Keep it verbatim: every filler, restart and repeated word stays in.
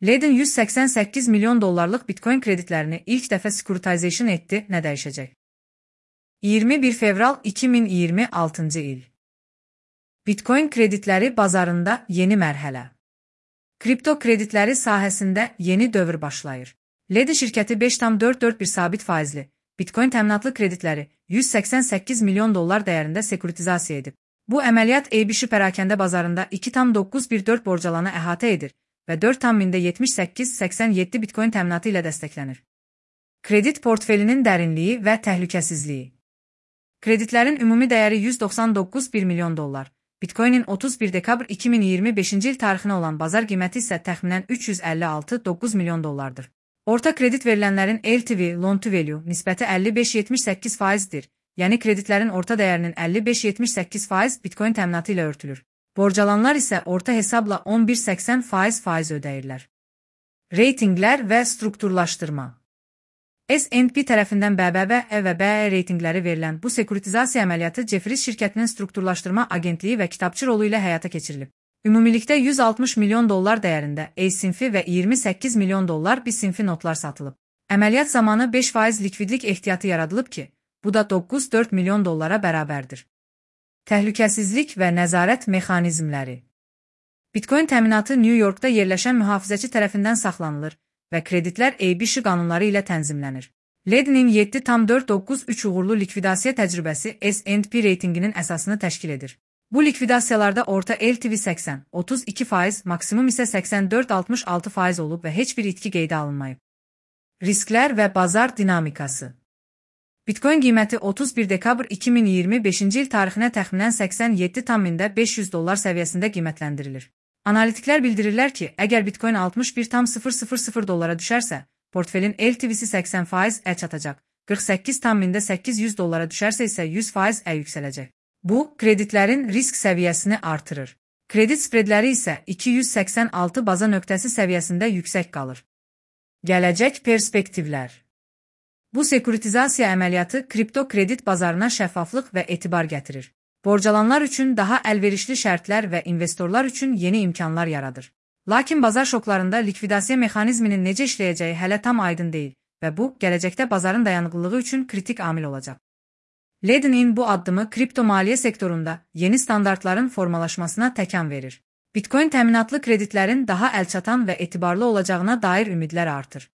Ledin yüz seksen sekiz milyon dollarlık Bitcoin kreditlerini ilk defa securitization etti, ne değişecek? iyirmi bir fevral iki min iyirmi altıncı il. Bitcoin kreditləri bazarında yeni mərhələ. Kripto kreditləri sahəsində yeni dövr başlayır. Ledin şirkəti beş tam dörd dörd bir sabit faizli Bitcoin təminatlı kreditləri yüz seksen sekiz milyon dollar dəyərində sekuritizasiya edib. Bu əməliyyat A B S pərakəndə bazarında iki tam doqquz bir dörd borcalanı əhatə edir və dörd tam yetmiş səkkiz səksən yeddi Bitcoin təminatı ilə dəstəklənir. Kredit portfelinin dərinliyi və təhlükəsizliyi. Kreditlərin ümumi dəyəri yüz doxsan doqquz bir milyon dollar. Bitcoin'in otuz bir dekabr iki min iyirmi beşinci il tarixinə olan bazar qiyməti isə təxminən üç yüz əlli altı nöqtə doqquz milyon dollardır. Orta kredit verilənlərin L T V, Loan to Value nisbəti əlli beş yetmiş səkkiz faizdir. Yəni kreditlərin orta dəyərinin əlli beş yetmiş səkkiz faiz Bitcoin təminatı ilə örtülür. Borcalanlar isə orta hesabla on bir səksən faiz faiz ödəyirlər. Reytinqlər və strukturlaşdırma. S and P tərəfindən B B B E və B E reytinqləri verilən bu sekuritizasiya əməliyyatı Jefferies şirkətinin strukturlaşdırma agentliyi və kitabçı rolu ilə həyata keçirilib. Ümumilikdə yüz altmış milyon dollar dəyərində A sinfi və iyirmi səkkiz milyon dollar B sinfi notlar satılıb. Əməliyyat zamanı beş faiz likvidlik ehtiyatı yaradılıb ki, bu da doqquz dörd milyon dollara bərabərdir. Təhlükəsizlik və nəzarət mexanizmləri. Bitcoin təminatı New Yorkda yerləşən mühafizəçi tərəfindən saxlanılır və kreditlər A B S qanunları ilə tənzimlənir. Ledinin yeddi tam dörd doqquz üç uğurlu likvidasiya təcrübəsi S and P reytinginin əsasını təşkil edir. Bu likvidasiyalarda orta L T V səksən otuz iki faiz, maksimum isə səksən dörd altmış altı faiz olub və heç bir itki qeydə alınmayıb. Risklər və bazar dinamikası. Bitcoin qiyməti otuz bir dekabr iki min iyirmi beşinci il tarixinə təxminən səksən yeddi tam beş yüz dollar səviyyəsində qiymətləndirilir. Analitiklər bildirirlər ki, əgər Bitcoin altmış bir tam sıfır sıfır sıfır dollara düşərsə, portfelin L T V'si səksən faiz ə çatacaq, qırx səkkiz tam səkkiz yüz dollara düşərsə isə yüz faiz ə yüksələcək. Bu, kreditlərin risk səviyyəsini artırır. Kredit spredləri isə iki yüz səksən altı baza nöqtəsi səviyyəsində yüksək qalır. Gələcək perspektivlər. Bu sekuritizasiya əməliyyatı kripto kredit bazarına şəffaflıq və etibar gətirir. Borcalanlar üçün daha əlverişli şərtlər və investorlar üçün yeni imkanlar yaradır. Lakin bazar şoklarında likvidasiya mexanizminin necə işləyəcəyi hələ tam aydın deyil və bu, gələcəkdə bazarın dayanıqlılığı üçün kritik amil olacaq. Ledin bu addımı kripto maliyyə sektorunda yeni standartların formalaşmasına təkan verir. Bitcoin təminatlı kreditlərin daha əlçatan və etibarlı olacağına dair ümidlər artır.